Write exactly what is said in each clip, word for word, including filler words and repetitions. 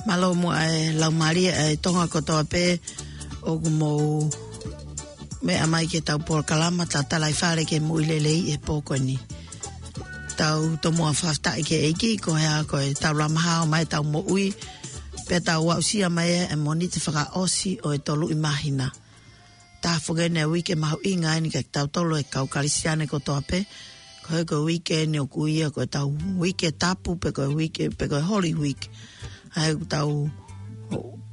Mālō muʻa e laumālie ʻa e Tonga kotoa pē ʻoku mou meʻa mai ki heʻetau polokalama Tatalaifale ki he Moʻui Lelei he pō ko eni. Tau tomuʻa fakafetaʻi ki he ʻEiki, ko e hā, ko ʻetau lama hao mai ʻetau moʻui, pea tau aʻusia mai e Mōnite fakaʻosi ʻo e toluʻi māhina. Tafoki eni e uike mahuʻinga eni kiate kitautolu e kau Kalisitiane kotoa pē. Ko e, ko e uike eni ʻoku ui ia ko ʻetau uike tapu pe ko e uike, pe ko e Holy Week. ʻA ia ʻoku tau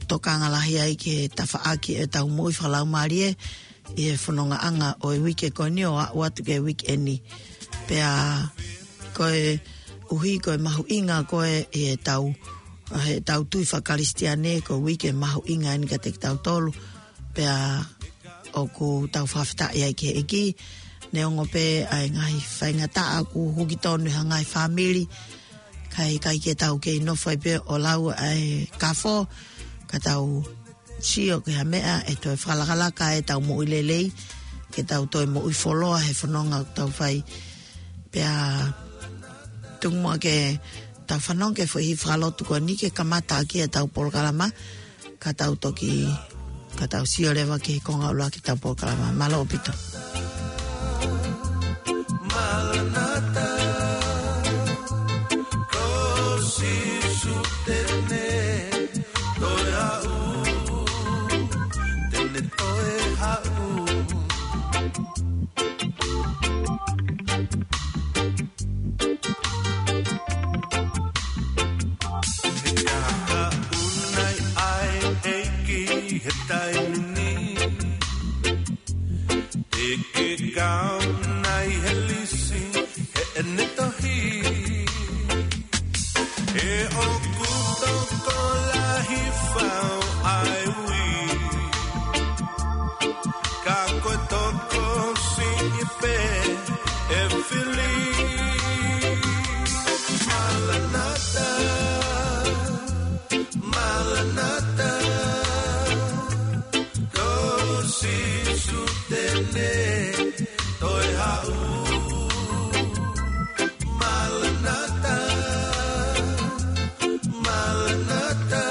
tokanga lahi ai ki he tafaʻaki ʻetau moʻui fakalaumālie ʻi he fonongaʻanga ʻo e uike ko eni ʻo aʻu atu ki he uike eni. Pea koeʻuhi ko e mahuʻinga ko ē ʻi heʻetau, heʻetau tui fakakalisitiane, ko e uike mahuʻinga eni kiate kitautolu. Pea ʻoku tau fakafetaʻi ai ki he ʻEiki, neongo pē ʻa e ngaahi faingataʻa ʻoku huki tonu ʻi ha ngaahi fāmili, kae ʻikai ke tau kei nofo ai pē ʻo lau ʻa e kafo, ka tau sio ki ha meʻa ʻe toe fakalakalaka ai ʻetau moʻui lelei, ke tau toe moʻui fuoloa he fononga ʻoku tau fai. Pea tuku muʻa ke tau fanongo ki he foʻi himi fakalotu ko eni ke kamata ʻaki ʻetau polokalama, ka tau toki, ka tau sio leva ki he konga ʻuluaki ʻetau polokalama. Mālō ʻaupito. Maranata, ko Sīsū te ne toe haʻu, te ne toe haʻu. He ka haʻu nai ʻa e ʻEiki he taimi ni, te ke kau nai he lisi heʻene tohi. He ʻoku tokolahi fau ʻa e ui, ka ko e tokosiʻi pē ʻe fili. Maranata, Maranata, ko Sīsū te ne toe haʻu. Maranata, Maranata,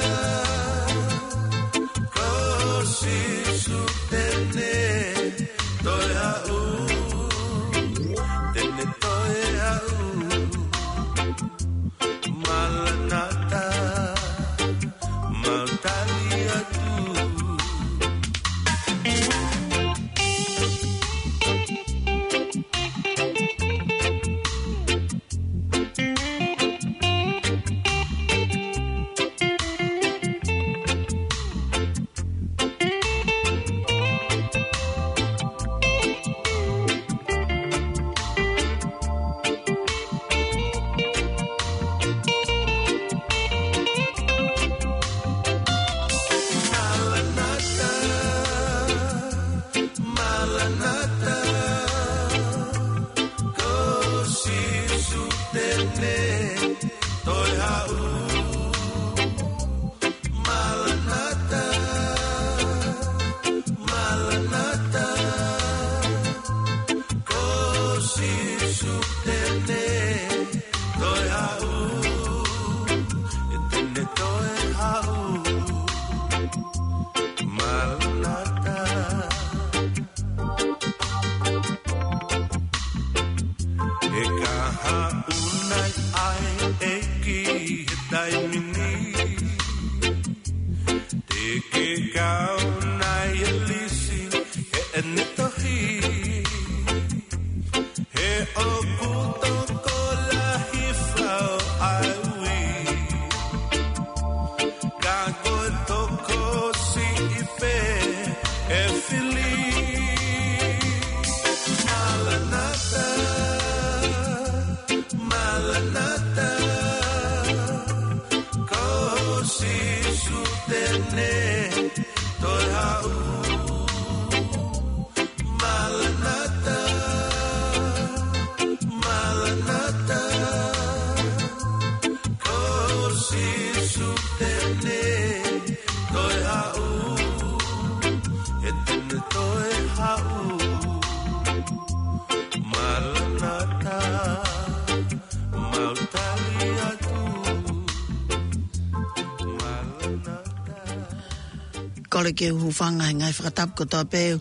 Kole ke u hūfanga he ngaahi fakatapu kotoa pē,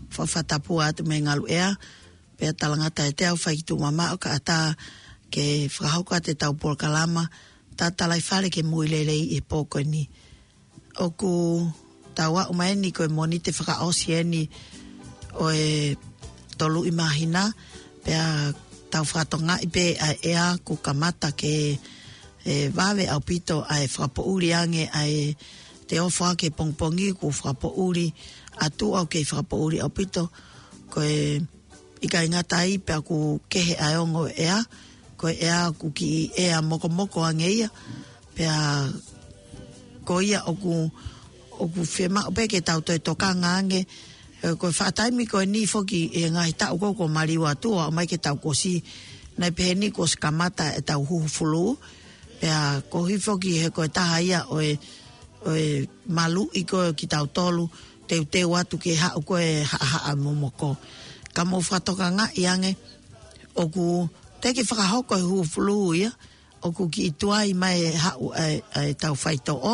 fakatapu atu mei he ngaluʻea, pea talangata ʻe te au fai ki tuʻa mamaʻo kae ʻatā ke fakahoko atu ʻetau polokalama, Tatalaifale ke Mui Lelei ʻi he pō ko eni. ʻOku tau aʻu mai eni ko e Mōnite fakaʻosi eni ʻo e tolu ʻi māhina, pea tau fakatokangaʻi pē ʻa e ʻea kuo kamata ke, ē, vave ʻaupito ʻa e fakapoʻuli ange ʻa e te ofo ake pongipongi kuo fakapoʻuli, ʻa tuʻa ʻoku kei fakapoʻuli ʻaupito, ko e ʻikai ngata ai pea ʻoku kehe ʻa e ongo ʻea, ko e ʻea ʻoku kiʻi ʻea mokomoko ange ia, pea ko ia ʻoku, ʻoku fiemaʻu pē ke tau toe tokanga ange, ē, ko e faʻa taimi ko eni foki ʻi he ngaahi taʻu ko ē kuo maliu atu ʻo aʻu mai ki he taʻu kuo ʻosi, naʻe pehē ni kuo ʻosi kamata ʻetau huhu fulū, pea koeʻuhi foki he ko e taha ia ʻo e, ʻo e maluʻi ko ē kitautolu, teuteu atu ke haʻu ko e haʻahaʻa momoko. Ka mou fakatokangaʻi ange, ʻoku teʻeki fakahoko e huhu fulū ia, ʻoku kiʻi tuai mai e haʻu ʻa e, ʻa ʻetau faitoʻo,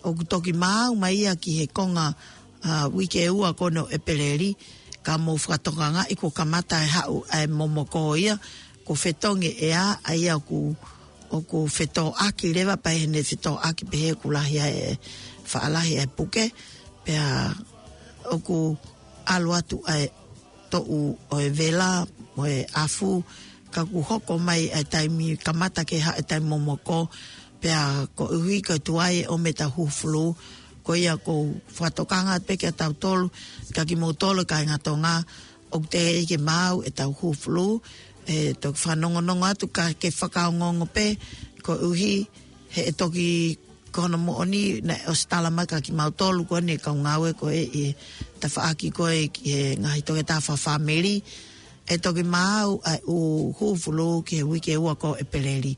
ʻoku toki maau mai ia ki he konga, ā, uike ua ko eni ʻo ʻEpeleli, ka mou fakatokangaʻi kuo kamata e haʻu ʻa e momoko ia, kuo fetongi e ʻea, ʻa ia ʻoku, ʻoku fetōʻaki leva pea ʻi heʻene fetōʻaki pehē ʻoku lahi ai e, faʻa lahi e puke, pea ʻoku ʻalu atu ʻa e toʻu ʻo e vela, ʻo e ʻafu, ka kuo hoko mai ʻa e taimi kamata ke haʻu e taimi momoko, pea koeʻuhi ko e tuai e ʻomi ʻetau huhu fulū, ko ia ʻoku ou fakatokanga pē kia tautolu, kia kimoutolu kāinga Tonga, ʻoku teʻeki ke maau ʻetau huhu fulū, ē, toki fanongonongo atu ka ke fakaongoongo pē, koeʻuhi he ʻe toki ko hono moʻoni naʻe ʻosi tala mai kia kimautolu ko eni kau ngāue ko ē ʻi he tafaʻaki ko ē ki he ngaahi toketā fakafāmili, ʻe toki maau ʻa e huhu fulū ki he uike ua ko ē ʻo ʻEpeleli.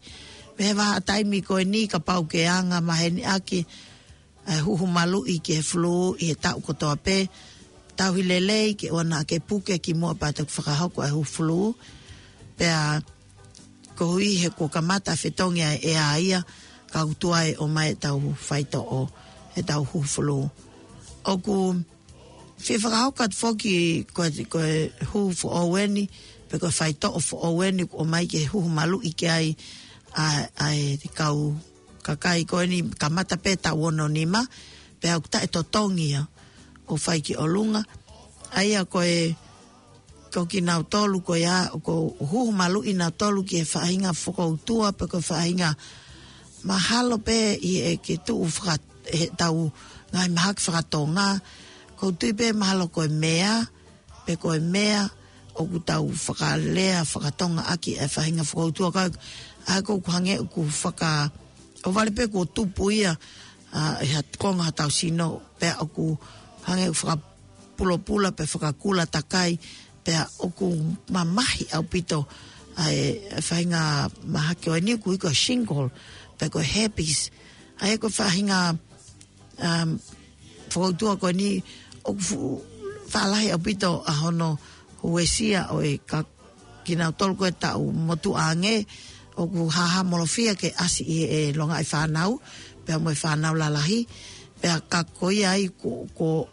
Mei he vahaʻa taimi ko eni kapau ke anga maheni ʻaki ʻa e huhu maluʻi ki he fulū ʻi he taʻu kotoa pē, tauhi lelei ke ʻoua naʻa ke puke kimuʻa pea toki fakahoko ʻa e huhu fulū. Pea koeʻuhi he kuo kamata fetongi ʻa e ʻea ia, ka ʻoku tuai ʻomai ʻetau faitoʻo, ʻetau huhu fulū. ʻOku fie fakahoko atu foki ko e, ko e huhu foʻou eni, pe ko e faitoʻo foʻou eni kuo ʻomai ke huhu maluʻi ki ai ʻa, ʻa e kau kakai ko eni kamata pē taʻu ono nima, pea ʻoku taʻetotongi ia ʻo fai ki ʻolunga. ʻA ia ko e, ko kinautolu ko ia, ʻoku huhu maluʻi nautolu ki he faʻahinga fokoutua, pe ko e faʻahinga mahalo pē ʻi he ke tuʻu faka-, heʻetau ngaahi mahaki fakatonga, ʻoku ou tui pē mahalo ko e mea, pe ko e mea, ʻoku tau fakalea fakatonga ʻaki e faʻahinga fokoutua ka, ʻa ia ʻoku hangē ʻoku faka-, ʻohovale pē kuo tupu ia, ā, ʻi ha konga hotau sino, pea ʻoku hangē ʻoku fakapulopula, pe fakakula takai, pea ʻoku mamahi ʻaupito, ʻa e, e faʻahinga mahaki ʻo eni ʻoku ui ko e shingles, pe ko e herpes. ʻA ia ko e faʻahinga um, fokoutua ko eni ʻoku fu-, faʻa lahi ʻaupito ʻa hono uesia ʻo e ka-, kinautolu ko e taʻu motuʻa ange, ʻoku hahamolofia ke ʻasi ʻi he longaʻi fānau, pea mo e fānau lalahi, pea ka ko ia ai ko, ko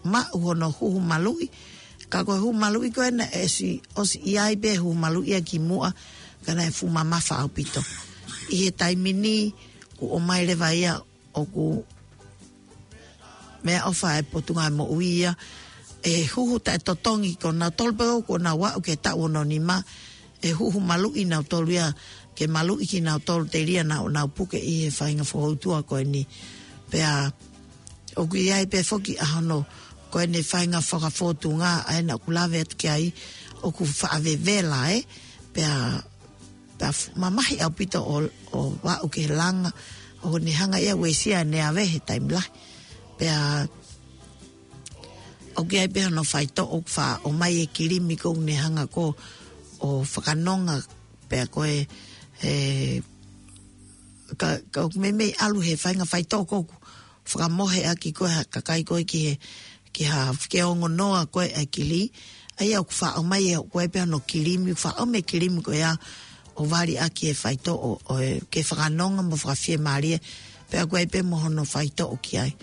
maʻu hono huhu maluʻi, ka ko e huhu maluʻi ko ena ʻe ʻosi, ʻosi ʻi ai pē huhu maluʻi ia kimuʻa, ka naʻe fuʻu mamafa ʻaupito. ʻI he taimi ni, kuo ʻomai leva ia ʻoku meʻaʻofa e Potungāue Moʻui ia, ʻe huhu taʻetotongi ko nautolu pē ʻoku nau aʻu ki he taʻu ono nima, ʻe huhu maluʻi nautolu ia, ke maluʻi kinautolu telia nau, nau puke ʻi he faʻahinga fokoutua ko eni. Pea ʻoku ʻi ai pē foki ʻa hono, ko ʻene faʻahinga fakafōtunga, ʻa ena ʻoku lave atu ki ai, ʻoku faʻa vevela, ē, pea pea f-, mamahi ʻaupito ʻo, ʻo aʻu ki he langa, ʻo ne hanga ia ʻo uesia ʻene ave he taimi lahi. Pea ʻoku ʻi ai pē hono faitoʻo ʻoku faʻa ʻomai e kilimi ko ē ʻoku ne hanga ko ē ʻo fakanonga pea ko e, e, ka, ka ʻoku meimei ʻalu he faʻahinga faitoʻo ko ē ʻoku fakamohe ʻaki ko ē ha kakai ko ē ki he, ki ha fike ongo noa ko ē ʻa e kili. ʻA ia ʻoku faʻa ʻomai ʻe, ʻoku ʻi ai pē hono kilimi, ʻoku faʻa ʻomai e kilimi ko ia ʻo vali ʻaki e faitoʻo, ʻo, ʻo e, ke fakanonga mo fakafiemālie, pea ʻoku ʻi ai pē mo hono faitoʻo ki ai.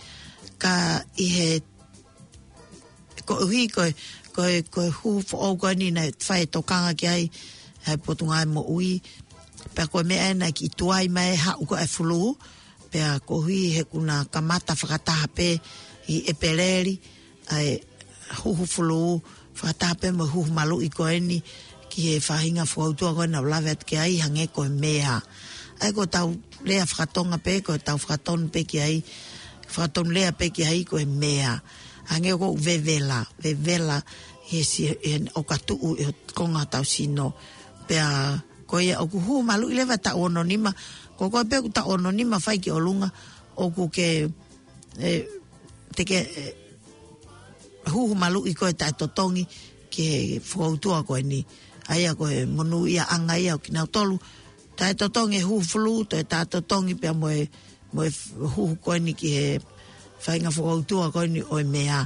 ʻa, ʻi he, koeʻuhi ko e, ko e, ko e huhu foʻou ko eni naʻe fai e tokanga ki ai ʻa e Potungāue Moʻui. Pea ko e meʻa ena ki tuai mai e haʻu ko ē e fulū, pea koeʻuhi he kuo na kamata fakataha pē ʻi ʻEpeleli ʻa e huhu fulū, fakataha pē mo e huhu maluʻi ko eni ki he faʻahinga fokoutua ko ena ʻoku lave atu ki ai, hangē ko e mea. ʻA ia ko ʻetau lea fakatonga pē, ko ʻetau fakatonu pē ki ai, fakatonu lea pē ki ai ko e mea. Hangē ko e vevela, vevela he si-, he ʻoka tuʻu ʻi he konga ʻetau sino. Pea ko ia ʻoku huhu maluʻi leva taʻu ono nima, ko koe pē ʻoku taʻu ono nima fai ki ʻolunga, ʻoku ke, ē, te ke, ē, huhu maluʻi koe taʻetotongi ki he fokoutua ko eni. ʻA ia ko e monūʻiaʻanga ia ʻo kinautolu. Taʻetotongi e huhu fulū, toe taʻetotongi pea mo e, mo e huhu ko eni ki he faʻahinga fokoutua ko eni ʻo e mea.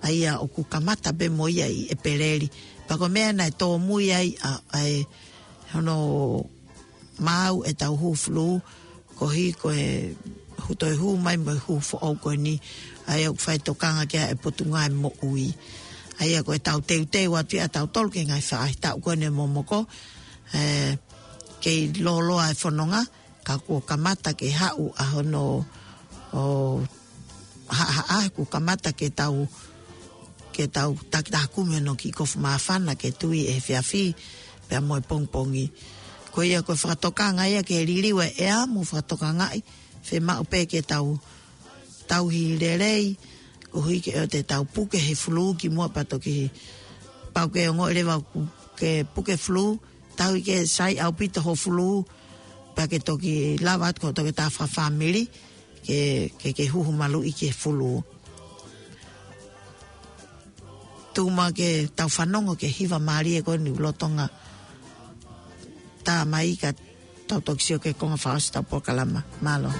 ʻA ia ʻoku kamata pē mo ia ʻi ʻEpeleli. Pea ko e meʻa naʻe tōmui ai ʻa, ʻa e hono maau ʻetau huhu fulū, koeʻuhi ko e huhu toe huhu mai mo e huhu foʻou ko eni, ʻa ia ʻoku fai tokanga ki ai e Potungāue Moʻui. ʻA ia ko ʻetau teuteu atu ia ʻa tautolu ki he ngaahi faʻahitaʻu ko eni ʻe momoko, ē, kei lōloa e fononga, ka kuo kamata ke haʻu ʻa hono, ʻo, ha, ha, ʻa, kuo kamata ke tau, ke tau takitaha kumi hono kiʻi kofu māfana ke tui ʻe he efiafi, pea mo e pongipongi. Ko ia ko e fakatokanga ia ke liliu e ʻea mo fakatokangaʻi, fiemaʻu pē ke tau, tauhi lelei, koeʻuhi ke ʻoua te tau puke he fulū kimuʻa pea toki pau ke ongoʻi leva ʻoku ke puke fulū, tauhi ke sai ʻaupito ho fulū, pea ke toki lava atu ko e toki tā fakafāmili, ke, ke, ke huhu maluʻi ki he fulū. Tuku muʻa ke tau fanongo ki he hiva mālie ko eni ʻoku lolotonga tā mai ka tau toki sio ki he konga fakaʻosi ʻetau polokalama. Mālō.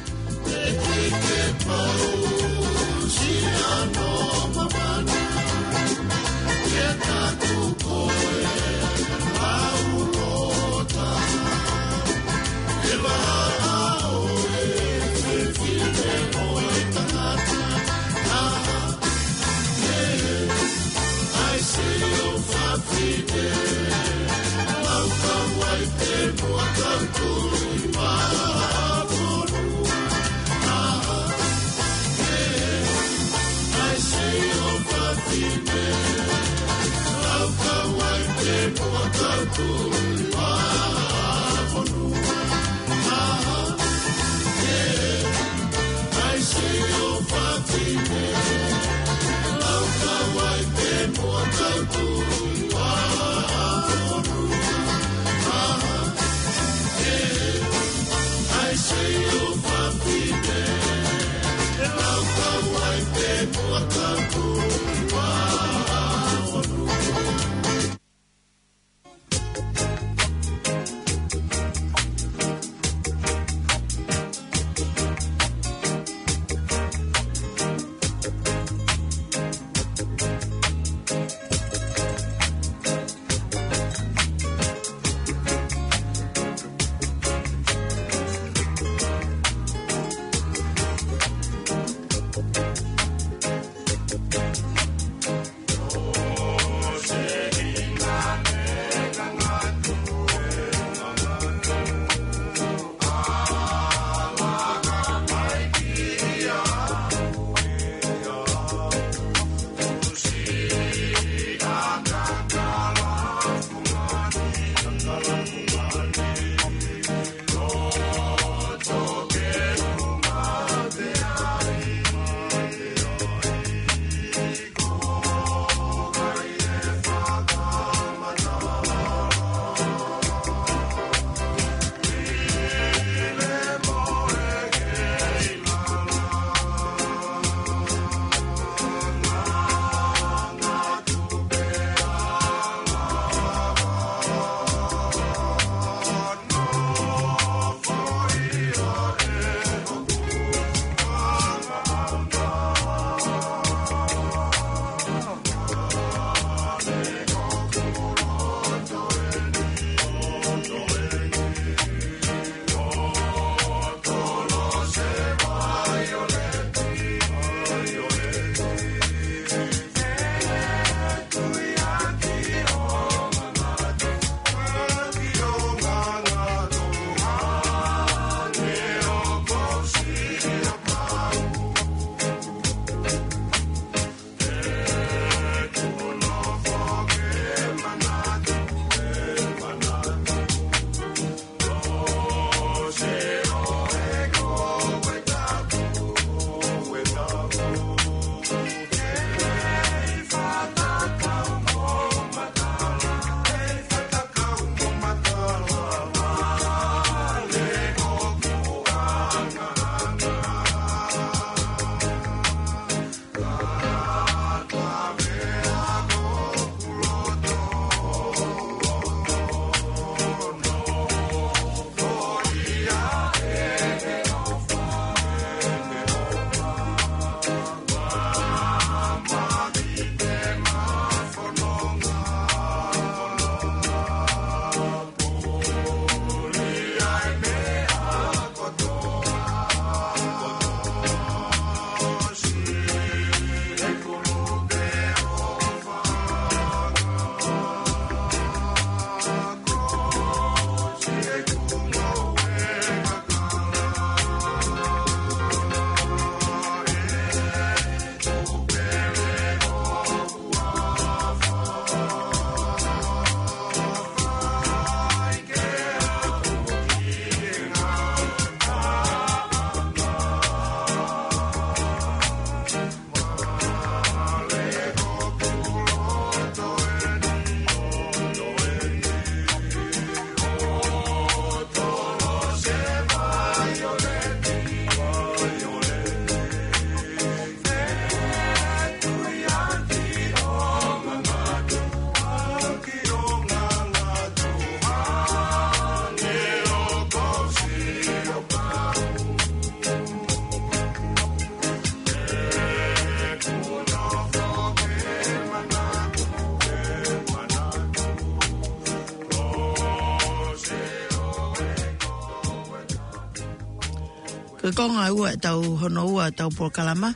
Ko e konga ua ʻetau, hono ua ʻetau polokalama,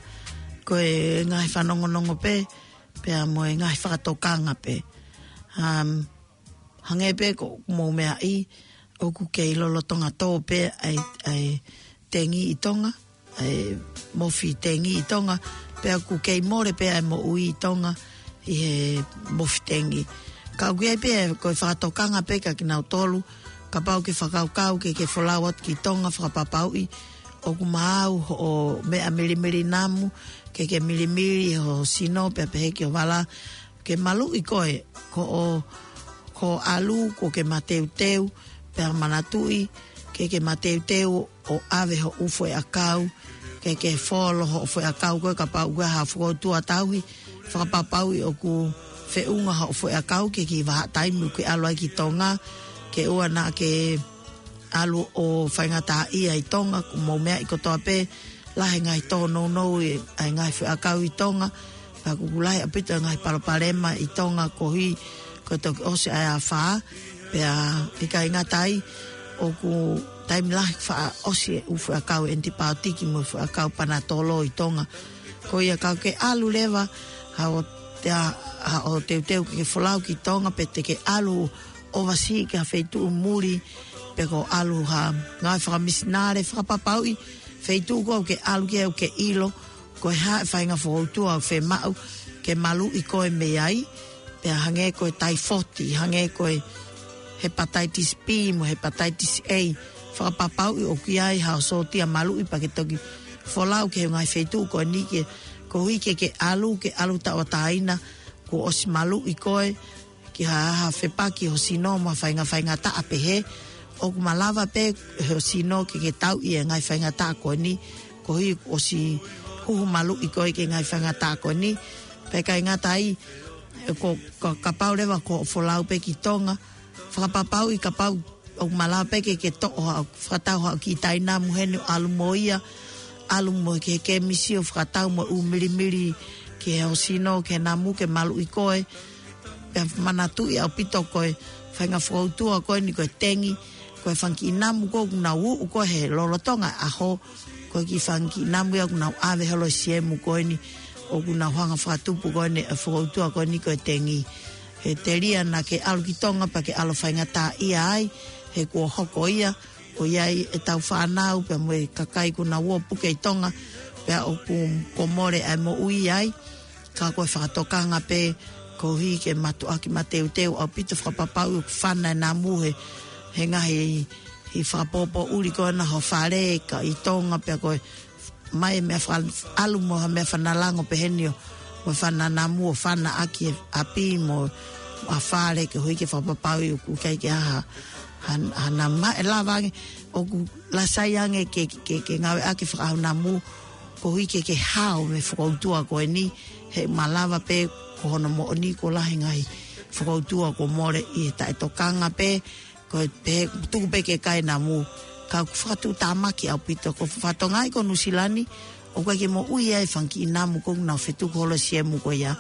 ko e ngaahi fanongonongo pē, pea mo e ngaahi fakatokanga pē. Um, hangē pē ko hoʻomou meaʻi, ʻoku kei lolotonga tō pē ʻa e, ʻa e tengi ʻi Tonga, ʻa e mofi tengi ʻi Tonga, pea ʻoku kei mole pē ʻa e moʻui ʻi Tonga ʻi he mofi tengi. Ka ʻoku ʻi ai pē ko e fakatokanga pē kia kinautolu, kapau ʻoku ke fakakaukau ke ke folau atu ki Tonga, fakapapauʻi ʻoku maau hoʻo meʻa milimili namu, ke ke milimili ho sino pea pehē ki ho vala, ke maluʻi koe, ko hoʻo, ko hoʻo ʻalu, kuo ke mateuteu, pea manatuʻi, ke ke mateuteu ʻo ʻave hoʻo foʻi ʻakau, ke ke folo hoʻo foʻi ʻakau ko ē kapau ʻoku ʻi ai ha fokoutua tauhi, fakapapauʻi ʻoku feʻunga hoʻo foʻi ʻakau ki he kiʻi vahaʻa taimi ʻoku ke ʻalu ai ki Tonga, ke ʻoua naʻa ke ʻalu ʻo faingataʻaʻia ʻi Tonga, ʻoku mou meaʻi kotoa pē, lahi e ngaahi tōnounou ʻi, ʻa e ngaahi foʻi ʻakau ʻi Tonga, pea ʻoku lahi ʻaupito e ngaahi palopalema ʻi Tonga koeʻuhi ko e toki ʻosi ʻa e afā, pea ʻikai ngata ai, ʻoku taimi lahi faʻa ʻosi e ʻū foʻi ʻakau ʻenitipaotiki mo e foʻi ʻakau panatolo ʻi Tonga. Ko ia ka ʻoku ke ʻalu leva, haʻo te a, haʻo teuteu ke ke folau ki Tonga pe te ke ʻalu ʻo vasi ki ha feituʻu muli, pe ko e ʻalu ha ngāue fakamisinale, fakapapauʻi feituʻu ko ē ʻoku ke ʻalu ki ai ʻoku ke ʻilo, ko e hā e faʻahinga fokoutua ʻoku fiemaʻu ke maluʻi koe mei ai, pea hangē ko e taifoti, hangē ko e hepatitis B mo e hepatitis A, fakapapauʻi ʻoku ʻi ai haʻo sōtia maluʻi pea ke toki folau ki he ngaahi feituʻu ko eni ke, koeʻuhi ke ke ʻalu, ke ʻalu tauʻatāina, kuo ʻosi maluʻi koe, ki ha, ha fepaki ho sino mo ha faʻahinga faingataʻa pehē, ʻoku malava pē ho sino ke ke tauʻi e ngaahi faingataʻa ko eni, koeʻuhi ʻosi huhu maluʻi koe ki he ngaahi faingataʻa ko eni, pea ʻikai ngata ai, ko, ko, kapau leva ko hoʻo folau pē ki Tonga, fakapapauʻi kapau ʻoku malava pē ke ke toʻo haʻo, fakatau haʻo kiʻi taʻinamu heni ʻo ʻalu mo ia, ʻalu mo e kiʻi kēmisi ʻo fakatau mo e ʻū milimili ki he ho sino, ki he namu ke maluʻi koe, pea manatuʻi ʻaupito ko e faʻahinga fokoutua ko eni ko e tengi, ko e fanga kiʻi namu ko ē ʻoku nau uʻu ko ē he lolotonga e ʻaho, ko e kiʻi fanga kiʻi namu ia ʻoku nau ʻave holo ʻi he siemu ko eni, ʻoku nau hanga fakatupu ko eni e fokoutua ko eni ko e tengi. He telia naʻa ke ʻalu ki Tonga pea ke ʻalu faingataʻaʻia ai, he kuo hoko ia, ʻo ʻi ai ʻetau fānau pea mo e kakai kuo nau ō puke ʻi Tonga, pea ʻoku, kuo mole ʻa e moʻui ai, ka ko e fakatokanga pē, koeʻuhi ke mātuʻaki mateuteu ʻaupito, fakapapauʻi ʻoku fana e namu he, he ngaahi, he fakapōpōʻuli ko ena ho fale ka ʻi Tonga pea ko e mai e meʻa faka-, ʻalu mo ha meʻa fana lango pehē ni ʻo, mo e fana namu ʻo fana ʻaki e ʻapi mo ha fale koeʻuhi ke fakapapauʻi ʻoku ʻikai ke ʻi ai ha, ha, ha namu. Ē, lava ange, ʻoku lasa ange ke, ke, ke ngāueʻaki e fakaʻaho namu, koeʻuhi ke ke hao mei he fokoutua ko eni, he malava pē ko hono moʻoni kuo lahi e ngaahi fokoutua kuo mole ʻi he taʻetokanga pē, ko e pē, tuku pē ke kai namu, ka ʻoku fakatuʻutāmaki ʻaupito, ko e fatongia ko Nuʻusila ni, ʻoku ʻikai ke moʻui ai e fanga kiʻi namu ko ē ʻoku nau fetuku holo ʻi he siemu ko ia.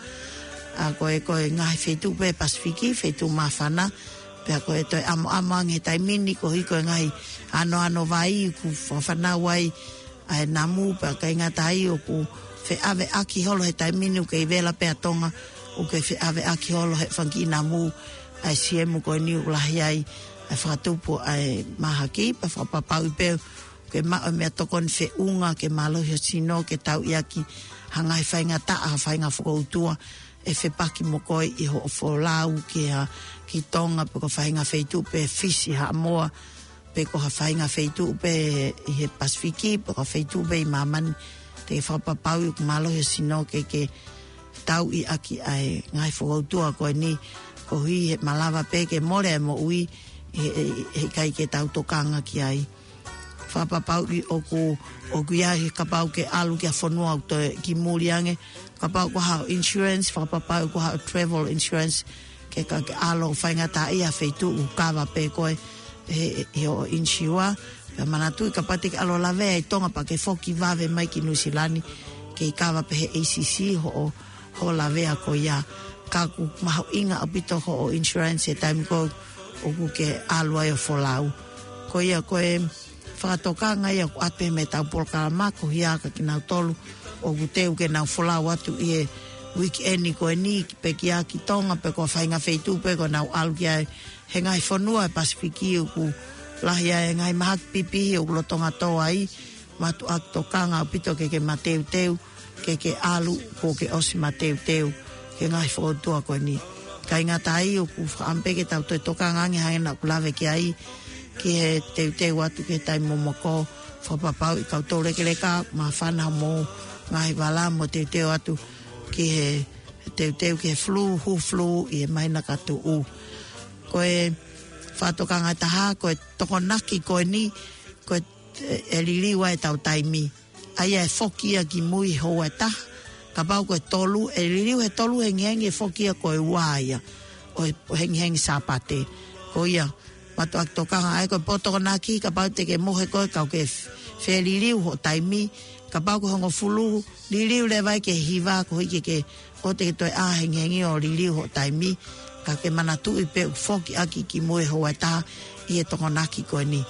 ʻA ko e, ko e ngaahi feituʻu pē Pasifiki, feituʻu māfana, pea ko e toe ʻamoʻamo ange he taimi ni koeʻuhi ko e ngaahi anoano vai ʻoku fānau ai ʻa e namu pea ʻikai ngata ai ʻoku feʻaveʻaki holo he taimi ni ʻoku kei vela pē ʻa Tonga ʻoku kei feʻaveʻaki holo he fanga kiʻi namu ʻa e siemu ko eni ʻoku lahi ai ʻa e fakatupu ʻa e mahaki pea fakapapauʻi pē ʻoku ke maʻu e meʻatokoni feʻunga ke mālohi ho sino ke tauʻi ʻaki ha ngaahi faingataʻa, ha faʻahinga fokoutua ʻe fepaki mo koe ʻi hoʻo folau ki ha, ki Tonga pe ko ha faʻahinga feituʻu pē Fisi, Haʻamoa, pe ko ha faʻahinga feituʻu pē ʻi he Pasifiki, pe ko ha feituʻu pē ʻi māmani, te ke fakapapauʻi ʻoku mālohi ho sino ke ke tauʻi ʻaki ʻa e ngaahi fokoutua ko eni, koeʻuhi he malava pē ke mole e moʻui, he, he, heʻikai ke tau tokanga ki ai. Fakapapauʻi ʻoku, ʻoku ʻi ai he kapau ke ʻalu ki ha fonua ʻoku toe ki muli ange, kapau ko haʻo insurance, fakapapauʻi ko haʻo travel insurance, ke ka ke ʻalu ʻo faingataʻaʻia he feituʻu kava pē koe he, he hoʻo insiua. Pea manatuʻi kapau te ke ʻalu ʻo lavea ʻi Tonga pea ke foki vave mai ki Nuʻusila ni, kei kava pē he A C C hoʻo, hoʻo lavea ko ia. Ka ʻoku mahuʻinga ʻaupito hoʻo insurance he taimi ko ē ʻoku ke ʻalu ai ʻo folau. Ko ia ko e fakatokanga ia ʻoku ʻoatu mei heʻetau polokalama ko ia kia kinautolu ʻoku teu ke nau folau atu ʻi he weekend ko eni, pe ki ʻa ki Tonga, pe ko e faʻahinga feituʻu pē ʻoku nau ʻalu ki ai he ngaahi fonua ʻo e Pasifiki ʻoku lahi ai e ngaahi mahaki pipihi ʻoku lolotonga tō ai. Mātuʻaki tokanga ʻaupito ke ke mateuteu, ke ke ʻalu kuo ke ʻosi mateuteu ki he ngaahi fokoutua ko eni. Kae ʻikai ngata ai, ʻoku fakaʻamu pē ke tau toe tokanga ange hangē naʻa ku lave ki ai ki he teuteu atu ki he taimi momoko, fakapapauʻi kau tō lekeleka, māfana mo e ngaahi vala mo teuteu atu ki he teuteu ki he flu, hu flu, ʻi he māhina ka tuʻu. Ko e fakatokanga ʻe taha, ko e tokonaki ko eni, ko e, ʻe liliu ai ʻetau taimi. ʻA ia ʻe foki ia ki mui houa ʻe taha, kapau ko e tolu, ʻe liliu he tolu hengihengi ʻe foki ia ko e ua ia ʻo e, ʻo e hengihengi Sāpate. Ko ia, mātuʻaki tokanga ai ko e pō tokonaki, kapau te ke mohe koe ka ʻoku ke f-, feliliu hoʻo taimi, kapau ko e hongofulu, liliu leva ia ki he hiva koeʻuhi ke ke ʻoua te ke toe ʻā hengihengi ʻo liliu hoʻo taimi, ka ke manatuʻi pē ʻoku foki ʻaki ki mui houa ʻe taha ʻi he tokonaki ko eni.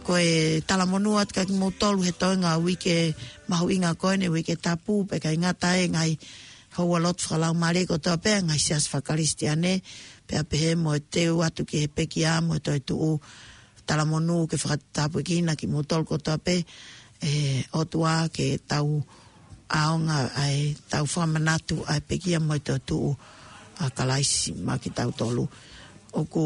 Ko e talamonū atu kia kimoutolu he toenga uike mahuʻinga ko eni, Uike Tapu, pea ʻikai ngata ai, ngaahi houa lotu fakalaumālie kotoa pē, ngaahi siasi fakakalisitiane, pea pehē mo e teu atu ki he pekia mo e toetuʻu, talamonū ke fakatapui kinautolu kotoa pē, ʻe ʻOtua ke tau ʻaonga ai, tau fakamanatu ai pekia mo e toetuʻu ʻa Kalaisi maʻa kitautolu. ʻOku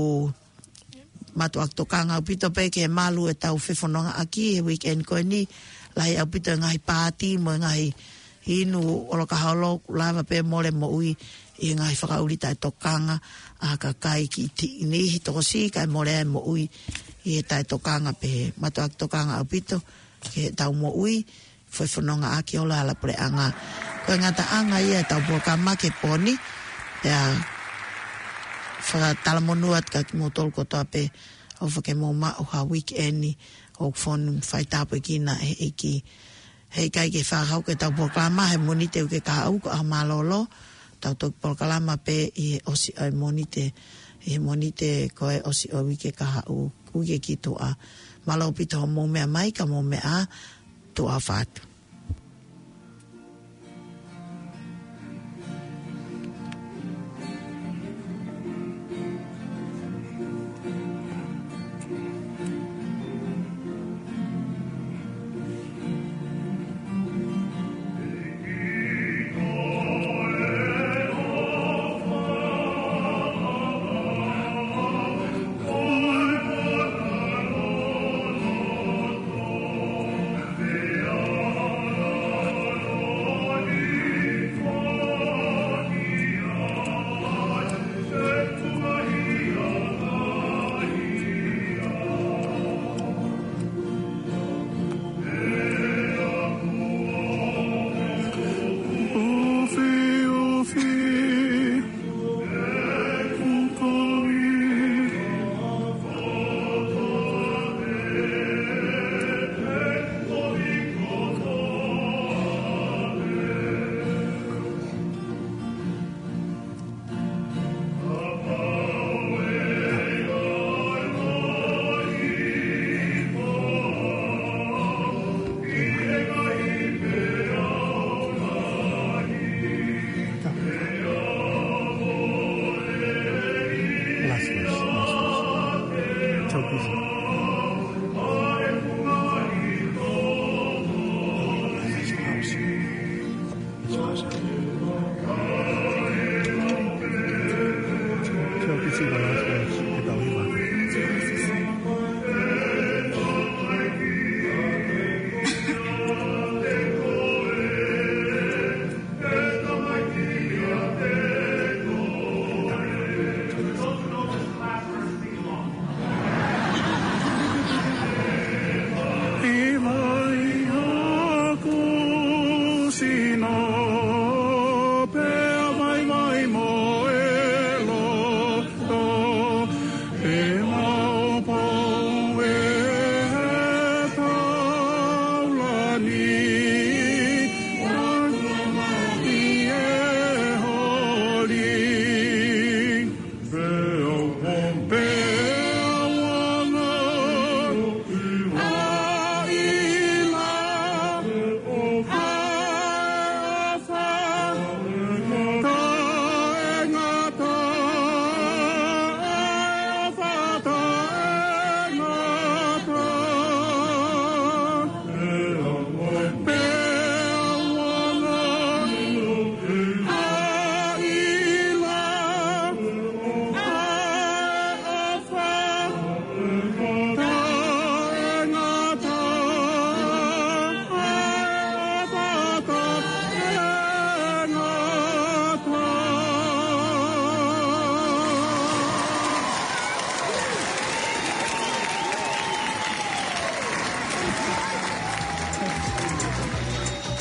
mātuʻaki tokanga ʻaupito pē ki he malu ʻetau fefonongaʻaki he weekend ko eni, lahi ʻaupito e ngaahi pāti mo e ngaahi inu ʻolokaholo, ʻoku lava pē mole moʻui ʻi he ngaahi fakaʻuli taʻetokanga ʻa e kakai ki ti-, niʻihi tokosiʻi kae mole ai moʻui ʻi he taʻetokanga pehē. Mātuʻaki tokanga ʻaupito ki heʻetau moʻui, fefonongaʻaki ʻo e hala puleʻanga. Ko e ngataʻanga ia ʻetau polokalama ki he pō ni, pea fakatalamonū atu kia kimoutolu kotoa pē, ʻofa ke mou maʻu ha weekend ʻoku fonu faitāpuekina ʻe he ʻEiki. He ʻikai ke fakahoko ʻetau polokalama he Mōnite uike kahaʻu, ko e ʻaho mālōlō, tau toki polokalama pē ʻi he ʻosi ʻo e Mōnite, ʻi he Mōnite ko e ʻosi ʻo e uike kahaʻu, uike ki tuʻa. Mālō ʻaupito hoʻomou meʻa mai, ka mou meʻa ā, tuʻa ʻofa atu.